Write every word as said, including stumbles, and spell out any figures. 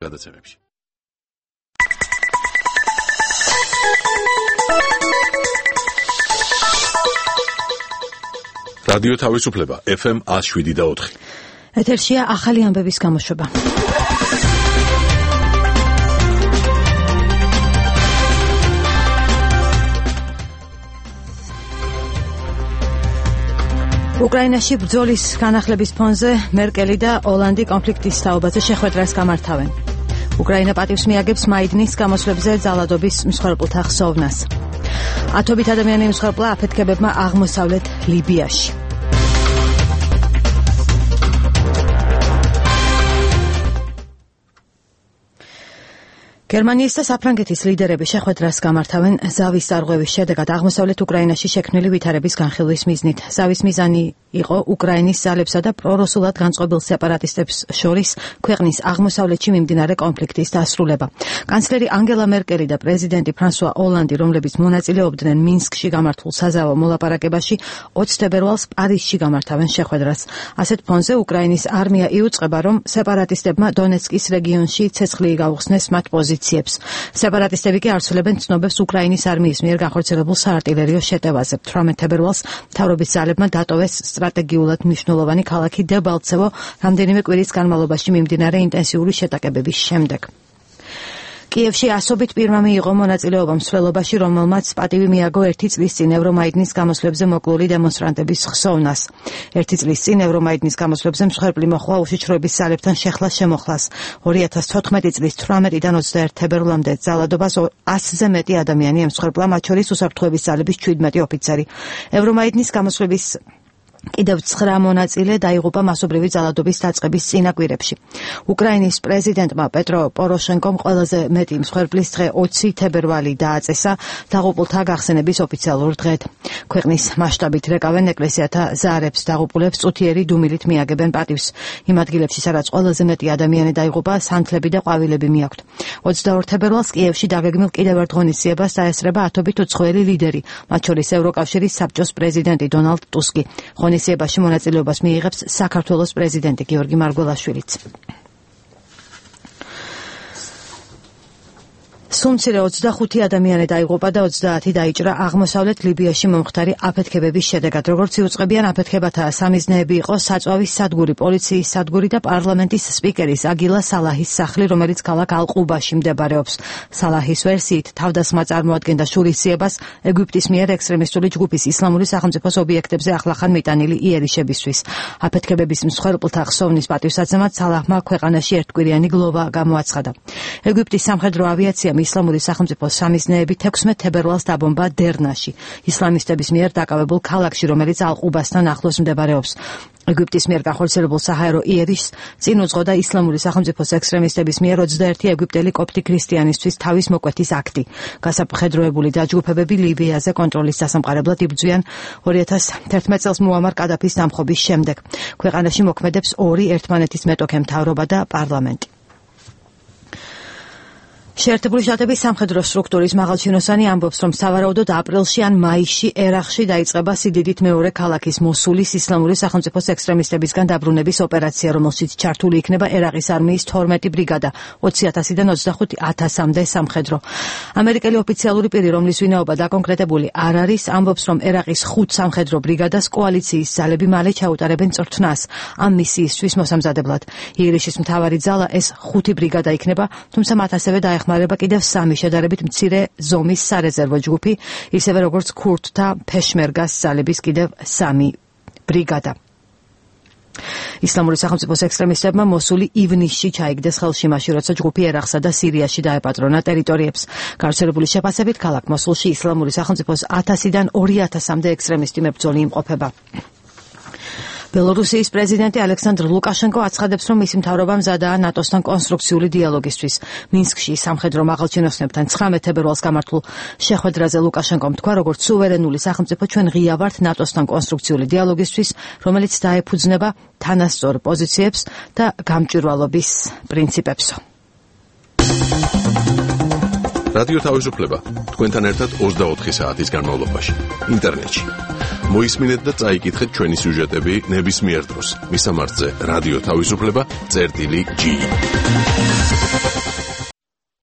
გადაცემებში. რადიო თავისუფლება ეფ ემ one oh seven და four. ეთერშია ახალი ამბების გამოშვება. უკრაინაში ბრძოლის განახლების ფონზე მერკელი და ოლანდი კონფლიქტის თაობაზე შეხვედრას გამართავენ. უკრაინა პატივს მიაგებს მაიდნის გამოსვლებზე ძალადობის მსხვერპლთა ხსოვნას. ათობით ადამიანი მსხვერპლა აფეთქებებმა აღმოსავლეთ ლიბიაში. გერმანიის და საფრანგეთის ლიდერები შეხვედრას გამართავენ ზავის დარღვევის შედეგად აღმოსავლეთ უკრაინაში შექმნილი ვითარების განხილვის მიზნით. ზავის მიზანი იყო უკრაინის ძალებსა და პრორუსულად განწყობილ სეპარატისტებს შორის ქვეყნის აღმოსავლეთში მიმდინარე კონფლიქტის დასრულება. კანცლერი ანგელა მერკელი და პრეზიდენტი ფრანსუა ოლანდი, რომლებიც მონაწილეობდნენ მინსკში გამართულ საზავო მოლაპარაკებაში, ოცი თებერვალს პარიზში გამართავენ შეხვედრას. ასეთ ფონზე უკრაინის არმია იუწყება, რომ სეპარატისტებმა დონეცკის რეგიონში ცეცხლი გაუხსნეს მათ პოზიციებს. სეპარატისტები კი არცვლებენ ცნობებს უკრაინის არმიის მიერ განხორციელებულ საარტილერიო შეტევაზე. თვრამეტ თებერვალს მთავრობის ძალებმა დატოვეს სტრატეგიულად მნიშვნელოვანი ქალაქი დებალცევო რამდენიმე კვირის განმავლობაში მიმდინარე ინტენსიური შეტაკებების შემდეგ. კიევში ასობით პირმა მიიღო მონაწილეობა მსვლელობაში, რომელმაც პატივი მიაგო ერთი წლის წინ ევრომაიდნის გამოსვლებზე მოკლული დემონსტრანტების ხსოვნას. ერთი წლის წინ ევრომაიდნის გამოსვლებზე მსხვერპლი მოხდა უშიშროების ძალებთან შეხლას შემოხლას. ორი ათას თოთხმეტი წლის თვრამეტიდან ოცდაერთი თებერვლამდე ძალადობას ასზე მეტი ადამიანი ემსხვერპლა, მათ შორის უსაფრთხოების ძალების შვიდმეტი ოფიცერი. ევრომაიდნის გამოსვლების კიდევ ცხრა მონაწილე დაიღუპა მასობრივი ძალადობის დაწყების წინაკვირებში. უკრაინის პრეზიდენტმა პეტრო პოროშენკომ ყველაზე მეტი მსხვერპლის დღე ოცი თებერვალი დააწესა დაღუპულთა გახსენების ოფიციალურ დღედ. ქვეყნის მასშტაბით რეკავენ ეკლესიათა ზარებს, დაღუპულებს წუთიერი დუმილით მიაგებენ პატივს. იმ ადგილებში, სადაც ყველაზე მეტი ადამიანი დაიღუპა, სანთლები და ყვავილები მიაქვთ. ოცდაორ თებერვალს კიევში დაგეგმილ კიდევ ერთ ღონისძიებას დაესწრება ათობით უცხოელი ლიდერი, მათ შორის ევროკავშირის საბჭოს პრეზიდენტი დონალდ ტუსკი. ღონისძიებაში მონაწილეობას მიიღებს საქართველოს პრეზიდენტი გიორგი მარგველაშვილიც. სუმცირე ოცდახუთი ადამიანი დაიღუპა და ოცდაათი დაიჭრა აღმოსავლეთ ლიბიაში მომხდარი აფეთქებების შედეგად. როგორც იუწყებიან, აფეთქებათა სამიზნეები იყო საწვავის სადგური, პოლიციის სადგური და პარლამენტის სპიკერის აგილა სალაჰის სახლი, რომელიც ქალაქ ალ-ყუბაში მდებარეობს. სალაჰის ვერსიით, თავდასხმა წარმოადგენდა შურისძიებას ეგვიპტის მიერ ექსტრემისტული ჯგუფის ისლამური სახელმწიფოს ობიექტებზე ახლახან მიტანილი იერიშებისთვის. აფეთქებების მსხვერპლთა ხსოვნის პატივსაცემად სალაჰმა ქვეყანაში ერთკვირიანი გლოვა გამოაცხადა. ეგვიპტის სამხედრო ავიაციამ ისლამური სახელმწიფოს სამიზნეებით ექვსმეტ თებერვალს დაბომბა დერნაში, ისლამისტების მიერ დაკავებულ ქალაქში, რომელიც ალ-ყუბასთან ახლოს მდებარეობს. ეგვიპტის მიერ განხორციელებულ საჰაერო იერიშს წინ უძღოდა ისლამური სახელმწიფოს ექსტრემისტების მიერ ოცდაერთი ეგვიპტელი კოპტი ქრისტიანისთვის თავის მოკვეთის აქტი. გასაფხედროებული დაჯგუფებები ლიბიაზე კონტროლის დასამყარებლად იბრძვიან ორი ათას თერთმეტ წელს მუამარ კადაფის დამხობის შემდეგ. ქვეყანაში მოქმედებს ორი ერთმანეთის მეტოქე მთავრობა და პარლამენტი. შეერთებული შტატების სამხედრო სტრუქტურის მაღალჩინოსანი ამბობს, რომ სავარაუდოდ აპრილში ან მაისში ერაყში დაიწყება სიდიდით მეორე ქალაქის მოსულის ისლამური სახელმწიფოს ექსტრემისტებისგან დაბრუნების ოპერაცია, რომელშიც ჩართული იქნება ერაყის არმიის თორმეტი ბრიგადა, ოცი ათასიდან ოცდახუთ ათასამდე სამხედრო. ამერიკელი ოფიციალური პირი, რომლის ვინაობა დაკონკრეტებული არ არის, ამბობს, რომ ერაყის ხუთ სამხედრო ბრიგადას კოალიციის ძალები მალე ჩაუტარებენ წვრთნას ამ მისიისთვის მოსამზადებლად. იერიშის მთავარი ძალა ეს ხუთი ბრიგადა იქნება, თუმცა მათ ასევე დაეხმარება ხმარება კიდევ სამი შედარებით მცირე ზომის სარეზერვო ჯგუფი, ისევე როგორც ქურთთა ფეშმერგას ძალების კიდევ სამი ბრიგადა. ისლამური სახელმწიფოს ექსტრემისტებმა მოსული ივნისში ჩაიგდეს ხელში, მაშინ როცა ჯგუფი ერაყსა და სირიაში დაეპატრონა ტერიტორიებს. გავრცელებული შეფასებით, ქალაქ მოსულში ისლამური სახელმწიფოს ათასიდან ორი ათასამდე ექსტრემისტი მებრძოლი იმყოფება. ბელორუსიის პრეზიდენტი ალექსანდრ ლუკაშენკო აცხადებს, რომ მისი მთავრობა მზადაა ნატოსთან კონსტრუქციული დიალოგისთვის. მინსკში სამხედრო მაღალჩინოსნებთან ცხრამეტ თებერვალს გამართულ შეხვედრაზე ლუკაშენკომ თქვა, როგორც სუვერენული სახელმწიფო ჩვენ ღია ვართ ნატოსთან კონსტრუქციული დიალოგისთვის, რომელიც დაეფუძნება თანასწორ პოზიციებს და გამჭვირვალობის პრინციპებს. რადიო თავისუფლება თქვენთან ერთად ოცდაოთხი საათის განმავლობაში ინტერნეტში მოისმინეთ და წაიკითხეთ ჩვენი სიუჟეტები ნებისმიერ დროს. მისამართზე რადიო თავისუფლება წერტილი ჯი.